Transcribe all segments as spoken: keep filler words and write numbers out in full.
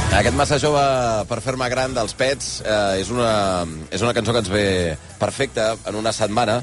Aquest Massa jove per fer-me gran dels Pets eh, és, una, és una cançó que ens ve perfecta en una setmana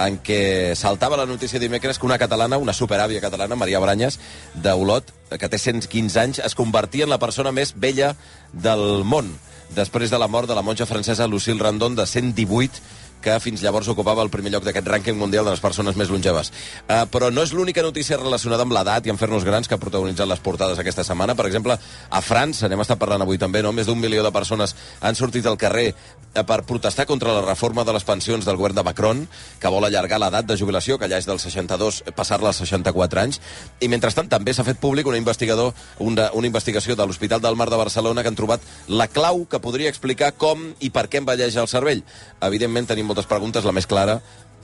en què saltava la notícia dimecres que una catalana, una superàvia catalana, Maria Branyes, d'Olot, que té cent quinze anys, es convertia en la persona més vella del món, després de la mort de la monja francesa Lucille Randon, de cent divuit, que fins llavors ocupava el primer lloc d'aquest rànquing mundial de les persones més longeves. Uh, però no és l'única notícia relacionada amb l'edat i amb fer-nos grans que ha protagonitzat les portades aquesta setmana. Per exemple, a França, anem a estar parlant avui també, no? Més d'un milió de persones han sortit al carrer per protestar contra la reforma de les pensions del govern de Macron, que vol allargar l'edat de jubilació, que ja és dels seixanta-dos, passar-la als seixanta-quatre anys. I mentrestant també s'ha fet públic una, investigador, una, una investigació de l'Hospital del Mar de Barcelona que han trobat la clau que podria explicar com i per què envelleix el cervell. Evidentment tenim moltes preguntes, la més clara,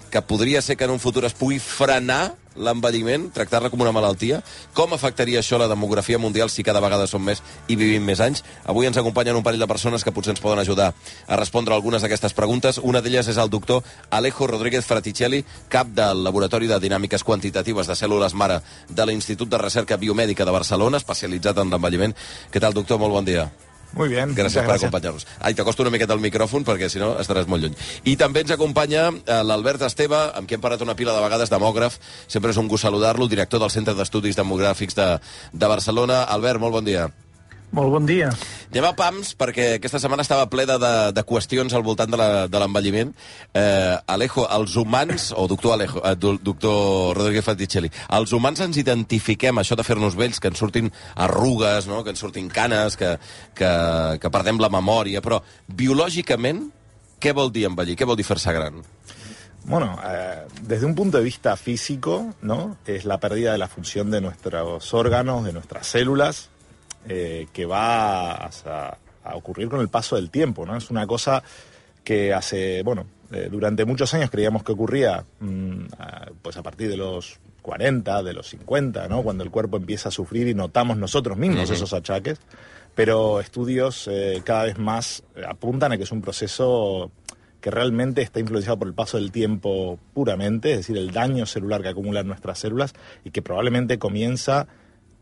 que podria ser que en un futur es pugui frenar l'envelliment, tractar-la com una malaltia. Com afectaria això la demografia mundial si cada vegada som més i vivim més anys? Avui ens acompanyen un parell de persones que potser ens poden ajudar a respondre algunes d'aquestes preguntes. Una d'elles és el doctor Alejo Rodríguez Fraticelli, cap del Laboratori de Dinàmiques Quantitatives de Cèl·lules Mare de l'Institut de Recerca Biomèdica de Barcelona, especialitzat en l'envelliment. Què tal, doctor? Molt bon dia. Muy bien. Gràcies per acompanyar-nos. Ai, t'acosto una miqueta el micròfon perquè si no estaràs molt lluny. I també ens acompanya eh, l'Albert Esteve, amb qui hem parlat una pila de vegades, demògraf. Sempre és un gust saludar-lo, director del Centre d'Estudis Demogràfics de, de Barcelona. Albert, molt bon dia. Molt bon dia. Anem a pams, perquè aquesta setmana estava plena de, de qüestions al voltant de l'envelliment. Eh, Alejo, els humans, o doctor Alejo, eh, doctor Rodríguez Fraticelli, els humans ens identifiquem, això de fer-nos vells, que ens surtin arrugues, no? Que ens surtin canes, que, que, que perdem la memòria, però biològicament, què vol dir envellir? Què vol dir fer-se gran? Bueno, eh, desde un punto de vista físico, ¿no? Es la pérdida de la función de nuestros órganos, de nuestras células, Eh, que va a, a ocurrir con el paso del tiempo, ¿no? Es una cosa que hace, bueno, eh, durante muchos años creíamos que ocurría mmm, a, pues a partir de los cuarenta, de los cincuenta, ¿no? Cuando el cuerpo empieza a sufrir y notamos nosotros mismos uh-huh. esos achaques, pero estudios eh, cada vez más apuntan a que es un proceso que realmente está influenciado por el paso del tiempo puramente, es decir, el daño celular que acumulan nuestras células y que probablemente comienza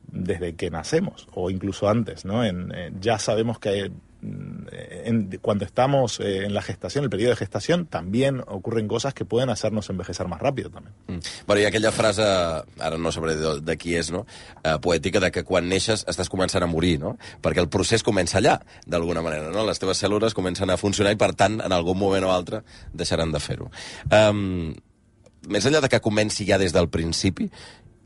desde que nacemos o incluso antes, ¿no? En, eh, ya sabemos que en, cuando estamos eh, en la gestación, el periodo de gestación, también ocurren cosas que pueden hacernos envejecer más rápido també. Mm. Bueno, i aquella frase, ara no sabré de, de qui és, no? Uh, poètica, de que quan neixes estàs començant a morir, no? Perquè el procés comença allà, d'alguna manera, no? Les teves cèl·lules comencen a funcionar i, per tant, en algun moment o altre deixaran de fer-ho. Um, més enllà de que comenci ja des del principi,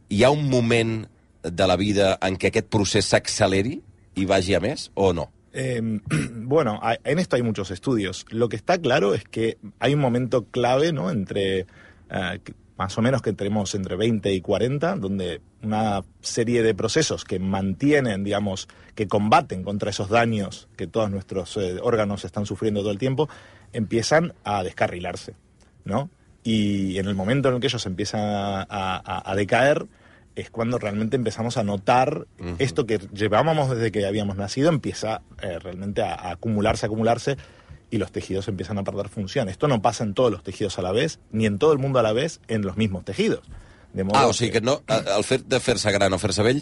hi ha un moment de la vida en què aquest procés s'acceleri i vagi a més, o no? Eh, bueno, en esto hay muchos estudios. Lo que está claro es que hay un momento clave, ¿no? Entre, eh, más o menos que tenemos entre veinte y cuarenta, donde una serie de procesos que mantienen, digamos, que combaten contra esos daños que todos nuestros eh, órganos están sufriendo todo el tiempo, empiezan a descarrilarse, ¿no? Y en el momento en el que ellos empiezan a, a, a decaer, es cuando realmente empezamos a notar uh-huh. esto que llevábamos desde que habíamos nacido, empieza eh, realmente a, a acumularse, a acumularse, y los tejidos empiezan a perder función. Esto no pasa en todos los tejidos a la vez, ni en todo el mundo a la vez, en los mismos tejidos. De modo ah, o sigui que, que no, el fet de fer-se gran o fer-se vell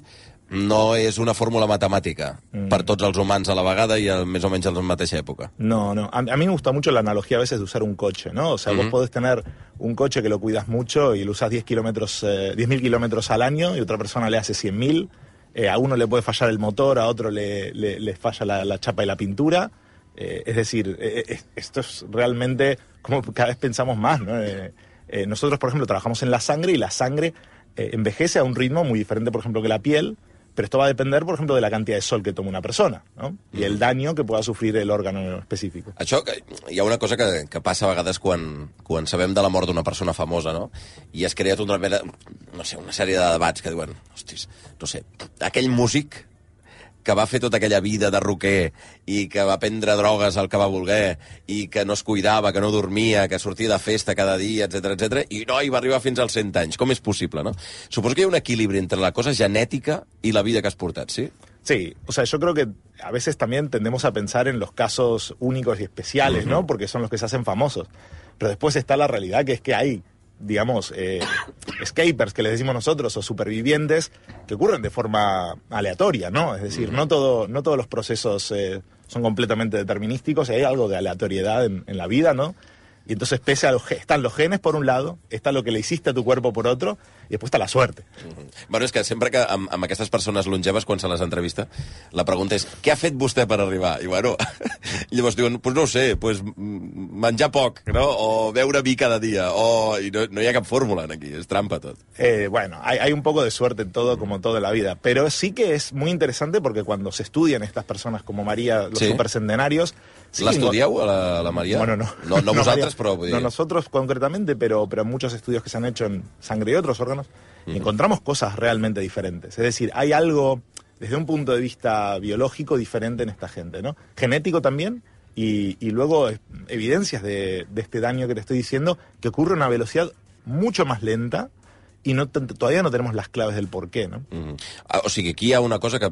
no és una fórmula matemàtica mm. per tots els humans a la vegada i a, més o menys a la mateixa època. No, no. A, a mí me gusta mucho la analogía a veces de usar un coche, ¿no? O sea, mm-hmm. vos podés tener un coche que lo cuidas mucho y lo usás diez kilómetros, eh, diez mil kilómetros al año y otra persona le hace cien mil. Eh, a uno le puede fallar el motor, a otro le, le, le falla la, la chapa y la pintura. Eh, es decir, eh, esto es realmente como cada vez pensamos más, ¿no? Eh, eh, nosotros, por ejemplo, trabajamos en la sangre y la sangre eh, envejece a un ritmo muy diferente, por ejemplo, que la piel, pero esto va a depender, por ejemplo, de la cantidad de sol que toma una persona, no? I el daño que pueda sufrir el órgano específic. Això, hi ha una cosa que, que passa a vegades quan, quan sabem de la mort d'una persona famosa, no? I has creat una, no sé, una sèrie de debats que diuen, hostis, no sé, aquell músic que va fer tota aquella vida de roquer i que va prendre drogues al que va voler i que no es cuidava, que no dormia, que sortia de festa cada dia, etcètera, etcètera, i no, i va arribar fins als cent anys. Com és possible, no? Suposo que hi ha un equilibri entre la cosa genètica i la vida que has portat, ¿sí? Sí, o sea, yo creo que a veces también tendemos a pensar en los casos únicos y especiales, uh-huh. ¿no? Porque son los que se hacen famosos. Pero después está la realidad, que es que hay digamos, eh, escapers, que les decimos nosotros, o supervivientes, que ocurren de forma aleatoria, ¿no? Es decir, no, todo, no todos los procesos eh, son completamente determinísticos, hay algo de aleatoriedad en, en la vida, ¿no? Y entonces, pese a los, están los genes por un lado, está lo que le hiciste a tu cuerpo por otro, i després està la suerte. Mm-hmm. Bueno, és que sempre que amb, amb aquestes persones longeves, quan se les entrevista, la pregunta és, què ha fet vostè per arribar? I bueno, llavors diuen, pues no ho sé, pues menjar poc, no? O beure vi cada dia, o... I no, no hi ha cap fórmula aquí, es trampa tot. Eh, bueno, hay, hay un poco de suerte en todo, como todo en la vida, pero sí que es muy interesante porque cuando se estudian estas personas como María, los sí. supercentenarios... Sí, ¿la estudiau, a la, la María? Bueno, no. No, no, no vosaltres, María, però... Vull dir... No nosotros concretamente, pero, pero muchos estudios que se han hecho en sangre y otros órganos, mm. encontramos cosas realmente diferentes. Es decir, hay algo, desde un punto de vista biológico, diferente en esta gente, ¿no? Genético también, y, y luego evidencias de, de este daño que te estoy diciendo, que ocurre a una velocidad mucho más lenta, y no, todavía no tenemos las claves del por qué, ¿no? Mm. Ah, o sigui, aquí hi ha una cosa que...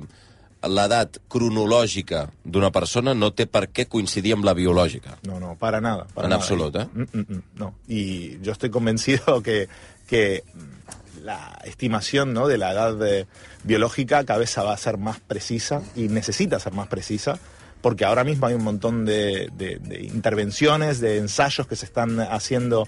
l'edat cronològica d'una persona no té per què coincidir amb la biològica. No, no, para nada. Para en nada. absolut, ¿eh? Mm, mm, mm, no. Y yo estoy convencido que, que la estimación, ¿no?, de la edad de, biológica cada vez va a ser más precisa y necesita ser más precisa, porque ahora mismo hay un montón de, de, de intervenciones, de ensayos que se están haciendo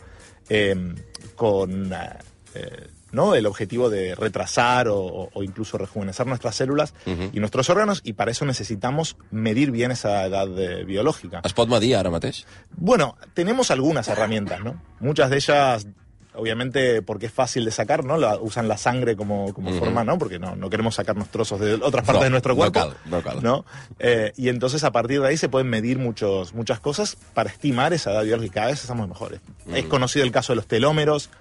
eh, con... Eh, ¿no?, el objetivo de retrasar o, o incluso rejuvenecer nuestras células uh-huh. y nuestros órganos, y para eso necesitamos medir bien esa edad de, biológica. ¿Es pot medir ara mateix? Bueno, tenemos algunas herramientas, ¿no? Muchas de ellas, obviamente, porque es fácil de sacar, ¿no? La, usan la sangre como, como uh-huh. forma, ¿no? Porque no, no queremos sacarnos trozos de otras partes no, de nuestro cuerpo. No cal, no cal. ¿No? Eh, y entonces, a partir de ahí, se pueden medir muchos, muchas cosas para estimar esa edad biológica. Cada vez estamos mejores. Uh-huh. Es conocido el caso de los telómeros.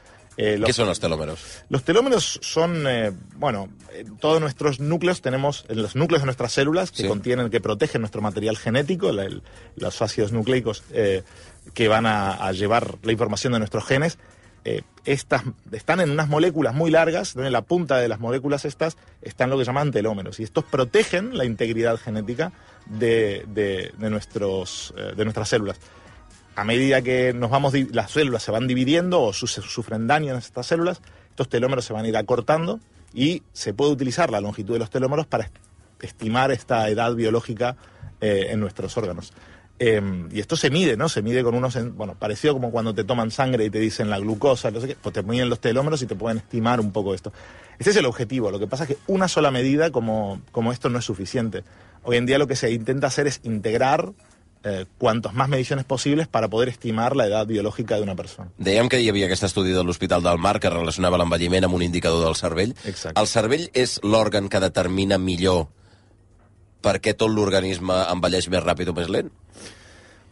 Eh, los, ¿Qué son los telómeros? Los telómeros son, eh, bueno, en todos nuestros núcleos tenemos, en los núcleos de nuestras células, que sí. contienen, que protegen nuestro material genético, la, el, los ácidos nucleicos eh, que van a, a llevar la información de nuestros genes. Eh, estas están en unas moléculas muy largas, donde en la punta de las moléculas estas están lo que llaman telómeros, y estos protegen la integridad genética de, de, de, nuestros, eh, de nuestras células. A medida que nos vamos, las células se van dividiendo o su, sufren daño en estas células, estos telómeros se van a ir acortando y se puede utilizar la longitud de los telómeros para estimar esta edad biológica eh, en nuestros órganos. Eh, y esto se mide, ¿no? Se mide con unos, bueno, parecido como cuando te toman sangre y te dicen la glucosa, no sé qué, pues te miden los telómeros y te pueden estimar un poco esto. Ese es el objetivo. Lo que pasa es que una sola medida como, como esto no es suficiente. Hoy en día lo que se intenta hacer es integrar Eh, cuantos más mediciones posibles para poder estimar la edad biològica d'una persona. Dèiem que hi havia aquest estudi de l'Hospital del Mar que relacionava l'envelliment amb un indicador del cervell. Exacte. El cervell és l'òrgan que determina millor per què tot l'organisme envelleix més ràpid o més lent?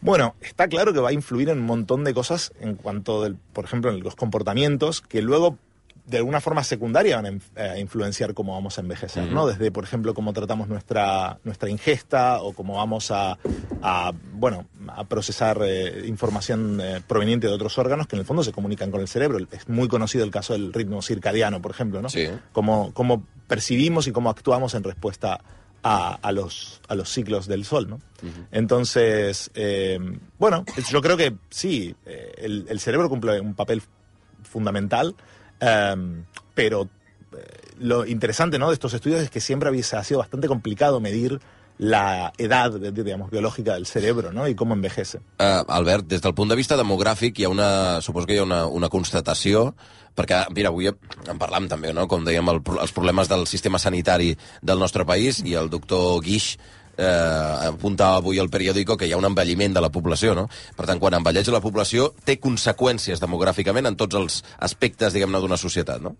Bueno, está claro que va a influir en un montón de cosas en cuanto, del, por ejemplo, en los comportamientos que luego de alguna forma secundaria van a influenciar cómo vamos a envejecer, uh-huh. ¿no? Desde, por ejemplo, cómo tratamos nuestra, nuestra ingesta o cómo vamos a, a bueno, a procesar eh, información eh, proveniente de otros órganos que en el fondo se comunican con el cerebro. Es muy conocido el caso del ritmo circadiano, por ejemplo, ¿no? Sí. Cómo, cómo percibimos y cómo actuamos en respuesta a, a, los, a los ciclos del sol, ¿no? Uh-huh. Entonces, eh, bueno, yo creo que sí, eh, el, el cerebro cumple un papel fundamental. Um, pero eh, lo interesante, ¿no?, de estos estudios es que siempre había, ha sido bastante complicado medir la edad, digamos, biològica del cerebro, ¿no?, i com envejece. Uh, Albert, des del punt de vista demogràfic hi ha una, suposo que hi ha una, una constatació, perquè, mira, avui en parlam també, no?, com dèiem, el, els problemes del sistema sanitari del nostre país, i el doctor Guix eh, apuntava avui al periòdico que hi ha un envelliment de la població, no? Per tant, quan envelleix la població, té conseqüències demogràficament en tots els aspectes, diguem-ne, d'una societat, no?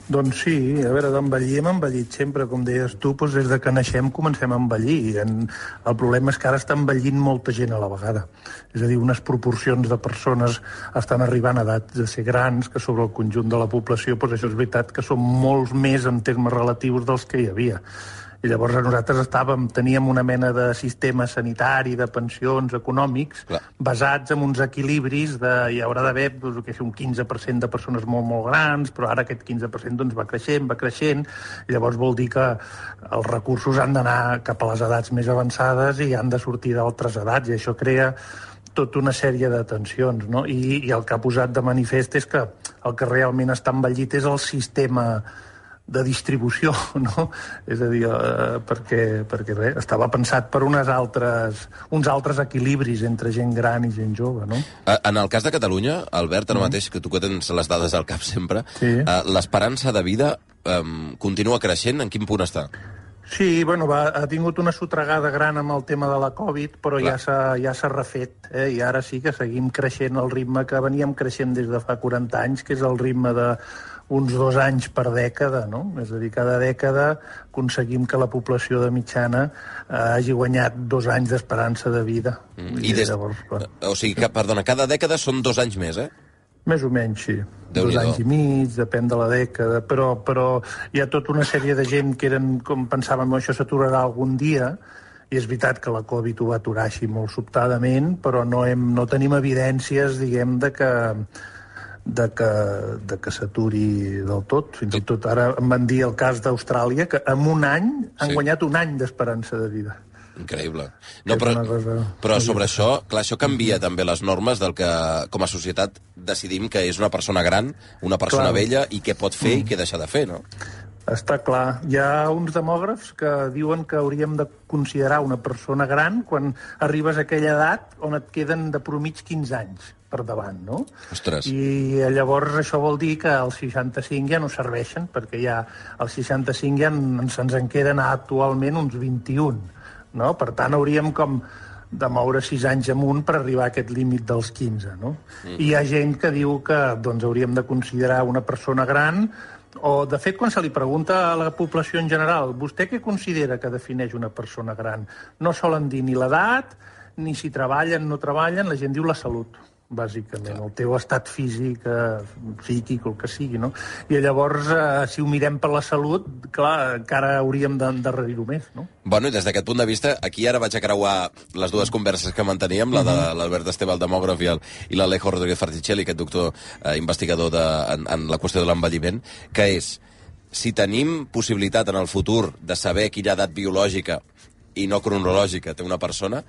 Doncs sí, a veure, d'envellir hem envellit sempre, com deies tu, doncs des de que naixem comencem a envellir. El problema és que ara està envellint molta gent a la vegada. És a dir, unes proporcions de persones estan arribant a edats de ser grans, que sobre el conjunt de la població, doncs això és veritat que són molts més en termes relatius dels que hi havia. I llavors nosaltres estàvem, teníem una mena de sistema sanitari, de pensions econòmics, clar, basats en uns equilibris de hi haurà d'haver doncs, que és un quinze per cent de persones molt, molt grans, però ara aquest quinze per cent doncs, va creixent, va creixent, i llavors vol dir que els recursos han d'anar cap a les edats més avançades i han de sortir d'altres edats, i això crea tota una sèrie de tensions, no? I, I el que ha posat de manifest és que el que realment està envellit és el sistema de distribució, no? És a dir, eh, perquè, perquè bé, estava pensat per unes altres, uns altres equilibris entre gent gran i gent jove, no? En el cas de Catalunya, Albert, ara mm. mateix, que tu que tens les dades al cap sempre, sí. eh, l'esperança de vida eh, continua creixent? En quin punt està? Sí, bueno, va, ha tingut una sotregada gran amb el tema de la Covid, però Clar. ja s'ha ja s'ha refet, eh? I ara sí que seguim creixent al ritme que veníem creixent des de fa quaranta anys, que és el ritme de uns dos anys per dècada, no? És a dir, cada dècada aconseguim que la població de mitjana eh, hagi guanyat dos anys d'esperança de vida. Mm. I des... Llavors, o sigui, que, perdona, cada dècada són dos anys més, eh? Més o menys, sí. Dos anys i mig, depèn de la dècada, però, però hi ha tota una sèrie de gent que eren, com pensàvem, això s'aturarà algun dia, i és veritat que la Covid ho va aturar així molt sobtadament, però no, hem, no tenim evidències, diguem, de que de que, de que s'aturi del tot. Fins i tot ara em van dir el cas d'Austràlia, que en un any han sí. guanyat un any d'esperança de vida. Increïble. No, però, però sobre això, clar, això canvia també les normes del que, com a societat, decidim que és una persona gran, una persona clar. vella, i què pot fer mm. i què deixa de fer, no? Està clar. Hi ha uns demògrafs que diuen que hauríem de considerar una persona gran quan arribes a aquella edat on et queden de promig quinze anys per davant, no? Ostres. I llavors això vol dir que els seixanta-cinc ja no serveixen, perquè ja als seixanta-cinc ja se'ns en queden actualment uns vint-i-un. No? Per tant, hauríem com de moure sis anys amunt per arribar a aquest límit dels quinze. No? Mm. I hi ha gent que diu que doncs, hauríem de considerar una persona gran, o, de fet, quan se li pregunta a la població en general, vostè què considera que defineix una persona gran? No solen dir ni l'edat, ni si treballen o no treballen, la gent diu la salut, bàsicament, el teu estat físic, eh, psíquic, el que sigui, no? I llavors, eh, si ho mirem per la salut, clar, encara hauríem d'endarrerir-ho més, no? Bueno, i des d'aquest punt de vista, aquí ara vaig a creuar les dues converses que manteníem, la de l'Albert Esteve, el demògraf, i, el, i l'Alejo Rodríguez Farticelli, aquest doctor eh, investigador de, en, en la qüestió de l'envelliment, que és, si tenim possibilitat en el futur de saber quina edat biològica i no cronològica té una persona,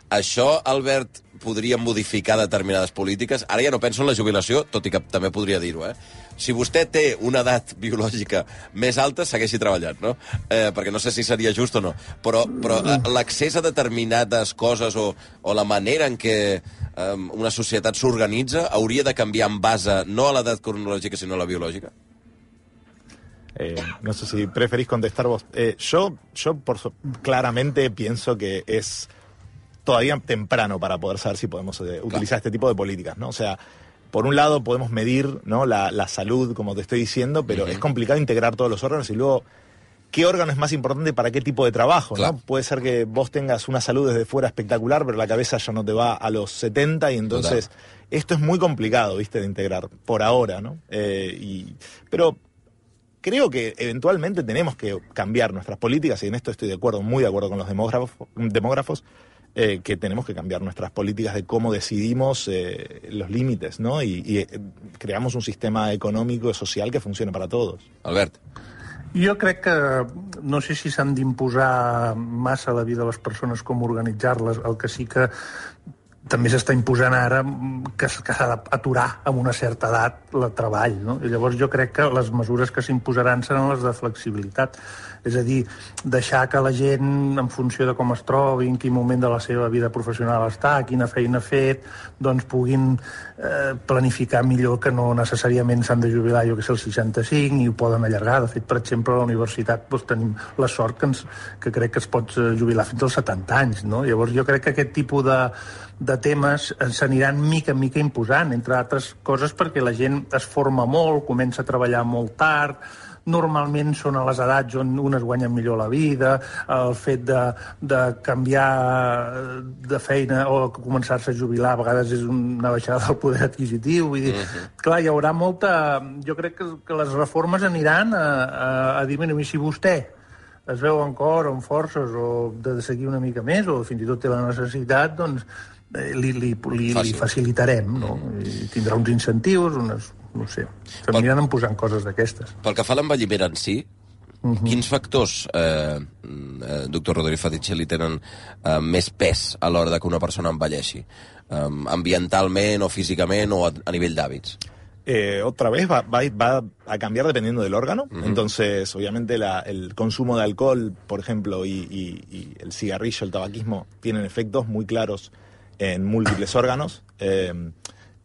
això, Albert, podria modificar determinades polítiques? Ara ja no penso en la jubilació, tot i que també podria dir-ho, eh? Si vostè té una edat biològica més alta, segueixi treballant, no? Eh, perquè no sé si seria just o no. Però, però eh, l'accés a determinades coses o, o la manera en què eh, una societat s'organitza hauria de canviar en base no a l'edat cronològica, sinó a la biològica? Eh, no sé si preferís contestar vos. Eh, yo, yo por, claramente pienso que es todavía temprano para poder saber si podemos eh, utilizar este tipo de políticas, ¿no? O sea, por un lado podemos medir, ¿no?, la, la salud, como te estoy diciendo, pero uh-huh. es complicado integrar todos los órganos y luego qué órgano es más importante para qué tipo de trabajo, ¿no? Claro. Puede ser que vos tengas una salud desde fuera espectacular, pero la cabeza ya no te va a los setenta y entonces Total. Esto es muy complicado, ¿viste?, de integrar por ahora, ¿no? Eh, y, pero creo que eventualmente tenemos que cambiar nuestras políticas y en esto estoy de acuerdo, muy de acuerdo con los demógrafos, demógrafos Eh, que tenemos que cambiar nuestras políticas de cómo decidimos eh, los límites, ¿no? Y, y eh, creamos un sistema econòmic i social que funcione para todos. Albert. Jo crec que no sé si s'han d'imposar massa la vida de les persones, com organitzar-les. El que sí que també s'està imposant ara que, que s'ha d'aturar amb una certa edat el treball, no? I llavors jo crec que les mesures que s'imposaran seran les de flexibilitat. És a dir, deixar que la gent, en funció de com es trobi, en quin moment de la seva vida professional està, quina feina ha fet, doncs puguin eh, planificar millor, que no necessàriament s'han de jubilar, jo que sé, als seixanta-cinc, i ho poden allargar. De fet, per exemple, a la universitat doncs, tenim la sort que, ens, que crec que es pot jubilar fins als setanta anys, no? Llavors jo crec que aquest tipus de, de temes s'aniran mica en mica imposant, entre altres coses perquè la gent es forma molt, comença a treballar molt tard, normalment són a les edats on unes guanyen millor la vida, el fet de, de canviar de feina o començar-se a jubilar a vegades és una baixada del poder adquisitiu. Vull dir, uh-huh. Clar, hi haurà molta... Jo crec que, que les reformes aniran a, a, a dir, mira, si vostè es veu en cor o en forces o de seguir una mica més o fins i tot té la necessitat, doncs li, li, li, li facilitarem, no? I tindrà uns incentius, unes... no sé, s'aniran posant coses d'aquestes. Pel que fa a l'envelliment en si, uh-huh. quins factors, eh, eh, doctor Rodríguez Farticelli, tenen eh, més pes a l'hora de que una persona envelleixi? um, ambientalment o físicament o a, a nivell d'hàbits? Eh, otra vez va, va, va a cambiar dependiendo del órgano. Uh-huh. Entonces, obviamente, la, el consumo de alcohol, por ejemplo, y, y, y el cigarrillo, el tabaquismo, tienen efectos muy claros en múltiples órganos. Eh,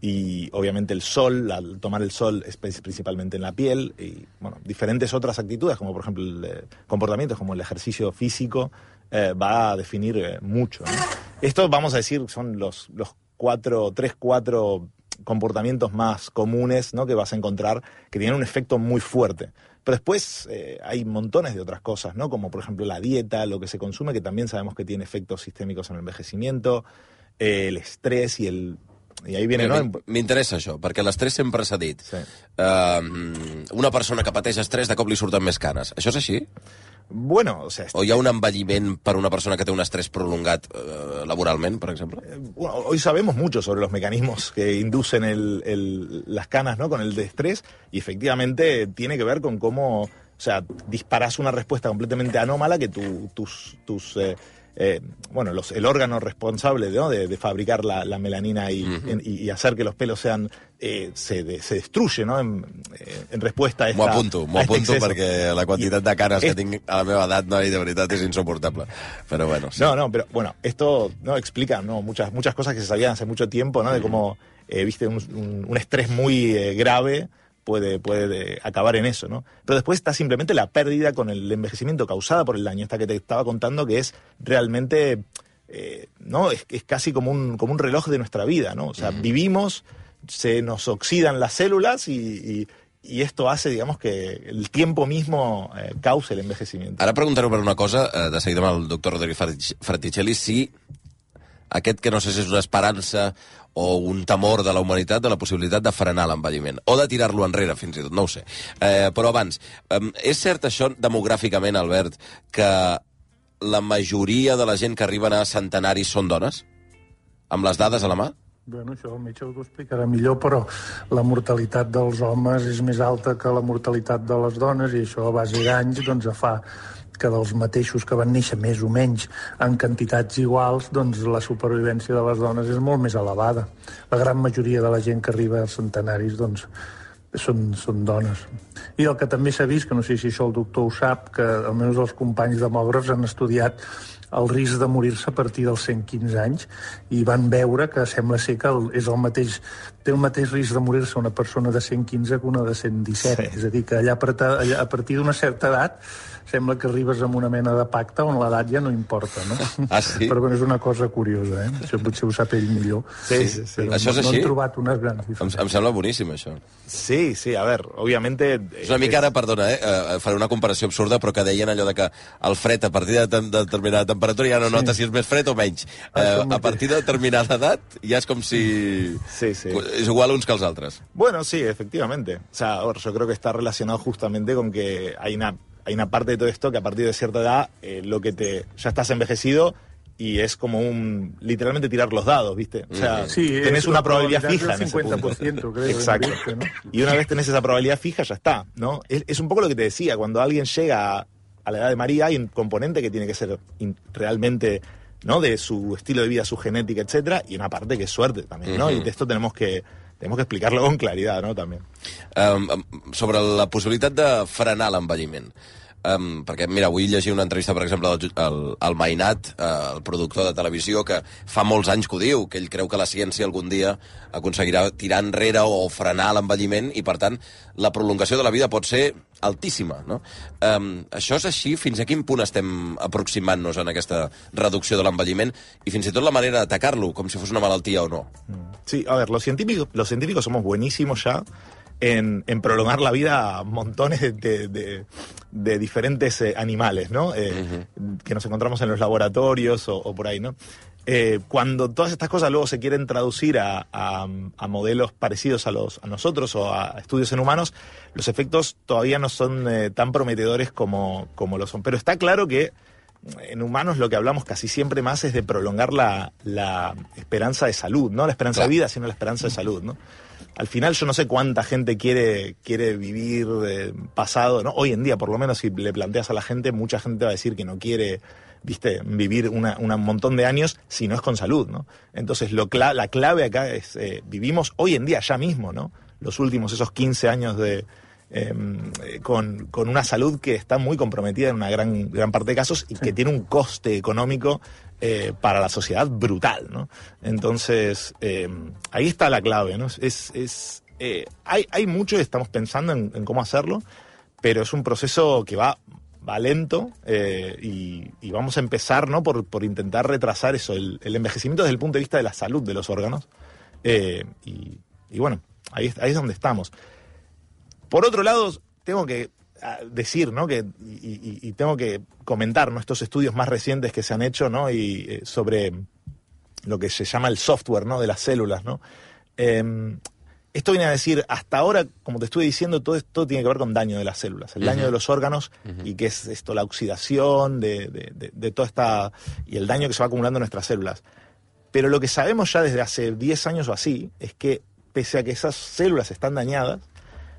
y obviamente el sol, la, tomar el sol es principalmente en la piel. Y bueno, diferentes otras actitudes, como por ejemplo el, eh, comportamientos como el ejercicio físico, eh, va a definir eh, mucho, ¿no? Esto, vamos a decir, son los, los cuatro, tres, cuatro comportamientos más comunes, ¿no?, que vas a encontrar que tienen un efecto muy fuerte. Pero después eh, hay montones de otras cosas, ¿no?, como por ejemplo la dieta, lo que se consume, que también sabemos que tiene efectos sistémicos en el envejecimiento, eh, el estrés i el... I ahí viene, no? M'interessa això, perquè l'estrès sempre s'ha dit. Sí. Uh, una persona que pateix estrès de cop li surten més canes. Això és així? Bueno, o sea... O hi ha un envelliment per una persona que té un estrés prolongat eh, laboralment, per exemple? Eh, bueno, hoy sabemos mucho sobre los mecanismos que inducen el, el, las canas, ¿no?, con el de estrés, y efectivamente tiene que ver con cómo, o sea, disparas una respuesta completamente anómala que tu, tus... tus eh, Eh, bueno, los, el órgano responsable, ¿no?, de, de fabricar la, la melanina y, uh-huh. en, y, y hacer que los pelos sean eh, se, de, se destruye, ¿no?, en, en respuesta a esta... M'ho apunto, m'ho apunto este perquè la quantitat de canes es... que tinc a la meva edat, no, i de veritat és insoportable. Pero bueno, sí. No, no, pero bueno, esto no explica, ¿no?, muchas, muchas cosas que se sabían hace mucho tiempo, ¿no?, de cómo, eh, viste, un, un, un estrés muy eh, grave puede, puede acabar en eso, ¿no? Pero después está simplemente la pérdida con el envejecimiento causada por el daño, esta que te estaba contando, que es realmente, eh, ¿no? Es, es casi como un, como un reloj de nuestra vida, ¿no? O sea, mm. vivimos, se nos oxidan las células y, y, y esto hace, digamos, que el tiempo mismo eh, cause el envejecimiento. Ara preguntaré per una cosa, eh, de seguida amb el doctor Rodrigo Fraticelli, si aquest, que no sé si és una esperança o un temor de la humanitat, de la possibilitat de frenar l'envelliment, o de tirar-lo enrere, fins i tot, no ho sé. Eh, però abans, eh, és cert això demogràficament, Albert, que la majoria de la gent que arriben a centenaris són dones? Amb les dades a la mà? Bueno, això el metge ho explicarà millor, però la mortalitat dels homes és més alta que la mortalitat de les dones, i això a base d'anys doncs fa que dels mateixos que van néixer més o menys en quantitats iguals, doncs la supervivència de les dones és molt més elevada. La gran majoria de la gent que arriba als centenaris doncs, són, són dones. I el que també s'ha vist, que no sé si això el doctor ho sap, que almenys els companys demògrafs han estudiat el risc de morir-se a partir dels cent quinze anys i van veure que sembla ser que el, és el mateix, té el mateix risc de morir-se una persona de cent quinze que una de cent disset. Sí. És a dir, que allà, allà a partir d'una certa edat sembla que arribes amb una mena de pacte on l'edat ja no importa, no? Ah, sí? Però bueno, és una cosa curiosa, eh? Això potser ho sap ell millor. Sí, sí, sí. Això és no, així? No han trobat unes grans diferències. Em, em sembla boníssim, això. Sí, sí, a ver, obviamente... És una mica ara, perdona, eh, eh, faré una comparació absurda, però que deien allò de que el fred a partir de, de determinada temperatura ja no sí. Notes si és més fred o menys. Eh, a partir de determinada edat ja és com si... Sí, sí. És igual uns que els altres. Bueno, sí, efectivamente. O sea, a ver, yo creo que está relacionado justamente con que hay una... Hay una parte de todo esto que a partir de cierta edad eh, lo que te ya estás envejecido y es como un literalmente tirar los dados, ¿viste? O sea, sí, tenés una probabilidad fija en ese cincuenta por ciento, punto. Creo, exacto. Este, ¿no? Y una vez tenés esa probabilidad fija, ya está, ¿no? Es, es un poco lo que te decía, cuando alguien llega a, a la edad de María hay un componente que tiene que ser in, realmente, ¿no?, de su estilo de vida, su genética, etcétera, y una parte que es suerte también, ¿no? Uh-huh. Y de esto tenemos que tenemos que explicarlo con claridad, ¿no?, también. Um, sobre la possibilitat de frenar l'envelliment. Um, perquè, mira, avui llegia una entrevista, per exemple, al, al, al Mainat, uh, el productor de televisió, que fa molts anys que ho diu, que ell creu que la ciència algun dia aconseguirà tirar enrere o frenar l'envelliment i, per tant, la prolongació de la vida pot ser altíssima, no? Um, això és així? Fins a quin punt estem aproximant-nos en aquesta reducció de l'envelliment i fins i tot la manera d'atacar-lo, com si fos una malaltia o no? Sí, a ver, los científicos, los científicos somos buenísimos ya En, en prolongar la vida a montones de, de, de, de diferentes eh, animales, ¿no? Eh, uh-huh. Que nos encontramos en los laboratorios o, o por ahí, ¿no? Eh, cuando todas estas cosas luego se quieren traducir a, a, a modelos parecidos a, los, a nosotros o a estudios en humanos, los efectos todavía no son eh, tan prometedores como, como lo son. Pero está claro que en humanos lo que hablamos casi siempre más es de prolongar la, la esperanza de salud, no la esperanza claro. de vida, sino la esperanza de salud, ¿no? Al final yo no sé cuánta gente quiere, quiere vivir eh, pasado, ¿no? Hoy en día, por lo menos, si le planteas a la gente, mucha gente va a decir que no quiere viste, vivir una, una, un montón de años si no es con salud, ¿no? Entonces, lo cla- la clave acá es, eh, vivimos hoy en día, ya mismo, ¿no? Los últimos, esos quince años de... Eh, con, con una salud que está muy comprometida en una gran, gran parte de casos y sí. que tiene un coste económico eh, para la sociedad brutal, ¿no? Entonces, eh, ahí está la clave, ¿no? Es, es, eh, hay, hay mucho y estamos pensando en, en cómo hacerlo, pero es un proceso que va, va lento eh, y, y vamos a empezar, ¿no? por, por intentar retrasar eso, el, el envejecimiento desde el punto de vista de la salud de los órganos. Eh, y, y bueno, ahí, ahí es donde estamos. Por otro lado, tengo que decir, ¿no? que, y, y, y tengo que comentar, ¿no? estos estudios más recientes que se han hecho, ¿no? y, eh, sobre lo que se llama el software, ¿no? de las células, ¿no? Eh, esto viene a decir, hasta ahora, como te estuve diciendo, todo esto tiene que ver con daño de las células, el uh-huh. daño de los órganos, uh-huh. y que es esto, la oxidación de, de, de, de toda esta... y el daño que se va acumulando en nuestras células. Pero lo que sabemos ya desde hace diez años o así, es que pese a que esas células están dañadas,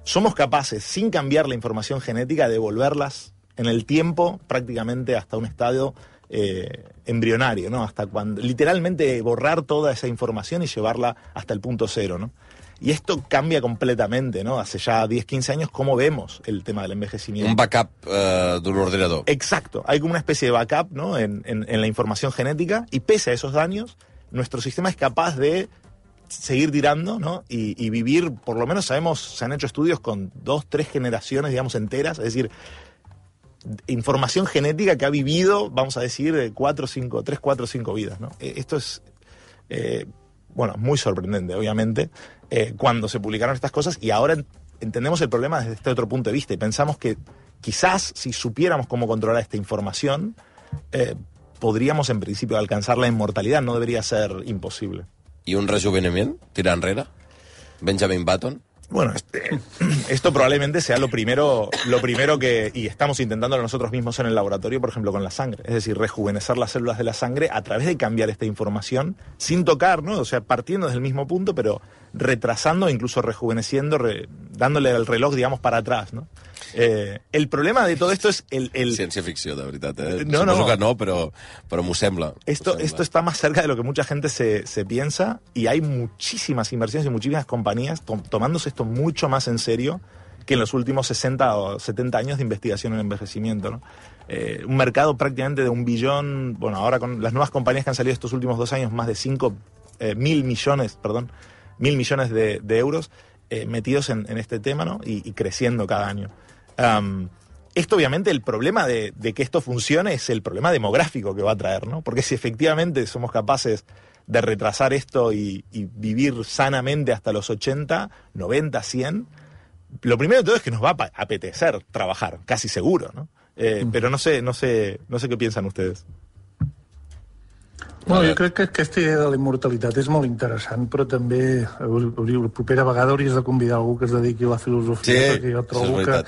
somos capaces, sin cambiar la información genética, de devolverlas en el tiempo prácticamente hasta un estadio eh, embrionario, ¿no? Hasta cuando, literalmente borrar toda esa información y llevarla hasta el punto cero, ¿no? Y esto cambia completamente, ¿no? Hace ya diez, quince años, cómo vemos el tema del envejecimiento. Un backup uh, de un ordenador. Exacto. Hay como una especie de backup, ¿no? En, en, en la información genética, y pese a esos daños, nuestro sistema es capaz de seguir tirando, ¿no? Y, y vivir, por lo menos sabemos, se han hecho estudios con dos, tres generaciones, digamos, enteras, es decir, información genética que ha vivido, vamos a decir, cuatro, cinco, tres, cuatro, cinco vidas, ¿no? Esto es, eh, bueno, muy sorprendente, obviamente, eh, cuando se publicaron estas cosas, y ahora entendemos el problema desde este otro punto de vista, y pensamos que quizás, si supiéramos cómo controlar esta información, eh, podríamos, en principio, alcanzar la inmortalidad. No debería ser imposible. ¿Y un rejuvenimiento? ¿Tira enrere? ¿Benjamin Button? Bueno, este, esto probablemente sea lo primero, lo primero que, y estamos intentándolo nosotros mismos en el laboratorio, por ejemplo, con la sangre. Es decir, rejuvenecer las células de la sangre a través de cambiar esta información sin tocar, ¿no? O sea, partiendo desde el mismo punto, pero retrasando, incluso rejuveneciendo, re, dándole el reloj, digamos, para atrás, ¿no? Eh, el problema de todo esto es el... el... Ciència-ficció, de veritat, eh? No, Suposo no. que no, però, però m'ho sembla. Esto, sembla. esto está más cerca de lo que mucha gente se, se piensa, y hay muchísimas inversiones y muchísimas compañías to tomándose esto mucho más en serio que en los últimos sesenta o setenta años de investigación en envejecimiento, ¿no? Eh, un mercado prácticamente de un billón, bueno, ahora con las nuevas compañías que han salido estos últimos dos años, más de cinco eh, mil millones, perdón, mil millones de, de euros eh, metidos en, en este tema, ¿no? Y, y creciendo cada año. Um, esto, obviamente, el problema de, de que esto funcione es el problema demográfico que va a traer, ¿no? Porque si efectivamente somos capaces de retrasar esto y, y vivir sanamente hasta los ochenta, noventa, cien, lo primero de todo es que nos va a apetecer trabajar, casi seguro, ¿no? Eh, mm. Però no sé, no sé, no sé què pensen ustedes. Bueno, jo crec que aquesta idea de la immortalitat és molt interessant, però també la propera vegada hauries de convidar algú que es dediqui a la filosofia, sí, perquè jo trobo que,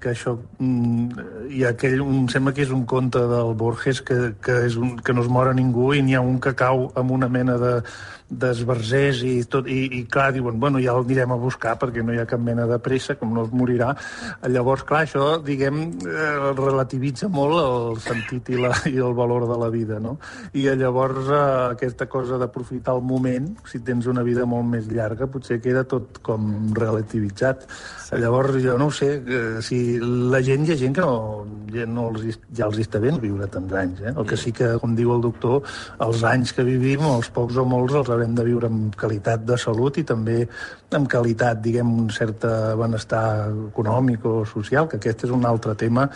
que això... Mm, hi ha aquell, em sembla que és un conte del Borges que, que, és un, que no es mora ningú, i n'hi ha un que cau amb una mena de d'esbarzers i tot, i, i clar, diuen, bueno, ja el anirem a buscar perquè no hi ha cap mena de pressa, com no es morirà. Llavors, clar, això, diguem, eh, relativitza molt el sentit i, la, i el valor de la vida, no? I llavors eh, aquesta cosa d'aprofitar el moment, si tens una vida molt més llarga, potser queda tot com relativitzat. Sí. Llavors, jo no ho sé, eh, si la gent, hi ha gent que no, ja, no els, ja els està bé viure tants anys, eh? El que sí que, com diu el doctor, els anys que vivim, els pocs o molts, els haurem de viure amb qualitat de salut i també amb qualitat, diguem, un cert benestar econòmic o social, que aquest és un altre tema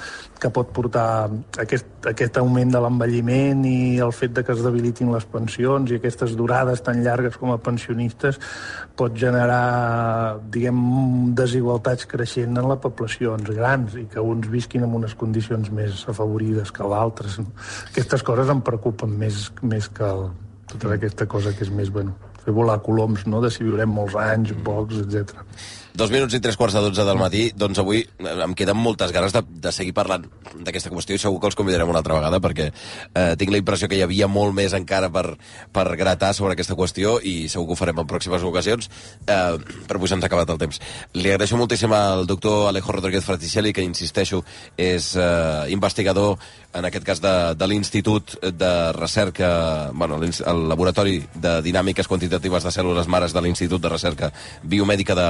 que pot portar aquest, aquest augment de l'envelliment i el fet de que es debilitin les pensions i aquestes durades tan llargues com a pensionistes pot generar, diguem, desigualtats creixent en les poblacions grans i que uns visquin en unes condicions més afavorides que d'altres. Aquestes coses em preocupen més, més que el tota aquesta cosa que és més, bueno, fer volar coloms, no?, de si viurem molts anys, pocs, etcètera. Dos minuts i tres quarts de dotze del matí, doncs avui em queden moltes ganes de, de seguir parlant d'aquesta qüestió, i segur que els convidarem una altra vegada, perquè eh, tinc la impressió que hi havia molt més encara per, per gratar sobre aquesta qüestió, i segur que ho farem en pròximes ocasions, eh, però avui se'ns ha acabat el temps. Li agraeixo moltíssim al doctor Alejo Rodríguez Fraticelli, que, insisteixo, és eh, investigador, en aquest cas de, de l'Institut de Recerca, bueno, el Laboratori de Dinàmiques Quantitatives de Cèl·lules Mares de l'Institut de Recerca Biomèdica de,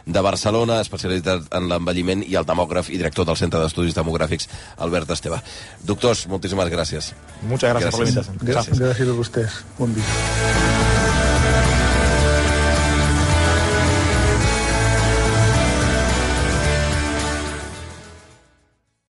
de Barcelona, especialitzat en l'envelliment, i el demògraf i director del Centre d'Estudis Demogràfics, Albert Esteve. Doctors, moltíssimes gràcies. Muchas gracias, gracias. por la invitación. Gracias, gracias a ustedes. Buen día.